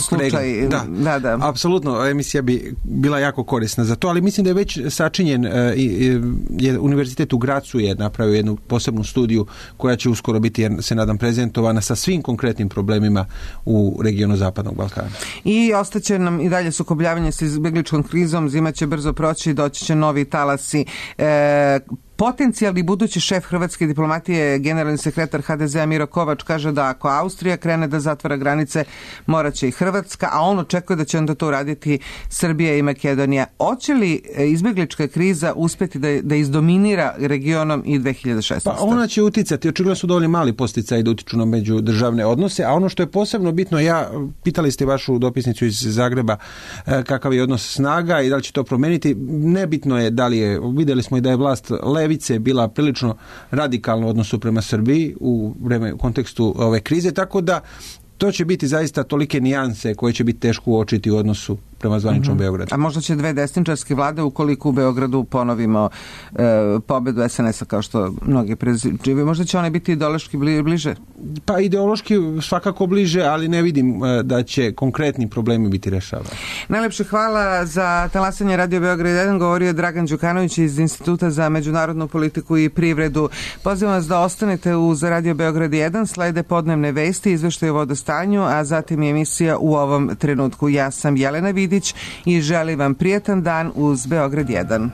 slučaj. Da. Apsolutno, emisija bi bila jako korisna za to, ali mislim da je već sačinjen, Univerzitet u Gracu je napravio jednu posebnu studiju koja će uskoro biti, se nadam, prezentovana sa svim konkretnim problemima u regionu Zapadnog Balkana. I ostaće nam i dalje sukobljavanje sa izbjegličkom krizom, zima će brzo proći, doći će novi talasi. Potencijalni budući šef hrvatske diplomatije, generalni sekretar HDZ-a Miro Kovač, kaže da ako Austrija krene da zatvara granice, morat će i Hrvatska, a on očekuje da će onda to uraditi Srbija i Makedonija. Hoće li izbjeglička kriza uspjeti da izdominira regionom i 2016? Pa ona će uticati, očigledno su dovoljno mali posticaji da utiču na međudržavne odnose, a ono što je posebno bitno, pitali ste vašu dopisnicu iz Zagreba kakav je odnos snaga i da li će to promijeniti, nebitno je da li je, vidjeli smo i da je vlast levice bila prilično radikalna u odnosu prema Srbiji u kontekstu ove krize, tako da to će biti zaista tolike nijanse koje će biti teško uočiti u odnosu prema zvaničnom Beogradu. A možda će dve desničarske vlade, ukoliko u Beogradu ponovimo pobedu SNS-a kao što mnogi preziđive, možda će one biti ideološki bliže? Pa ideološki svakako bliže, ali ne vidim da će konkretni problemi biti rešavani. Najlepše hvala za talasanje Radio Beograd 1, govorio je Dragan Đukanović iz Instituta za međunarodnu politiku i privredu. Pozivam vas da ostanete uz Radio Beograd 1, slede podnevne vesti, izveštaje o vodostanju, a zatim je emisija U ovom trenutku. Ja sam Jelena Vidić i želim vam prijatan dan uz Beograd 1.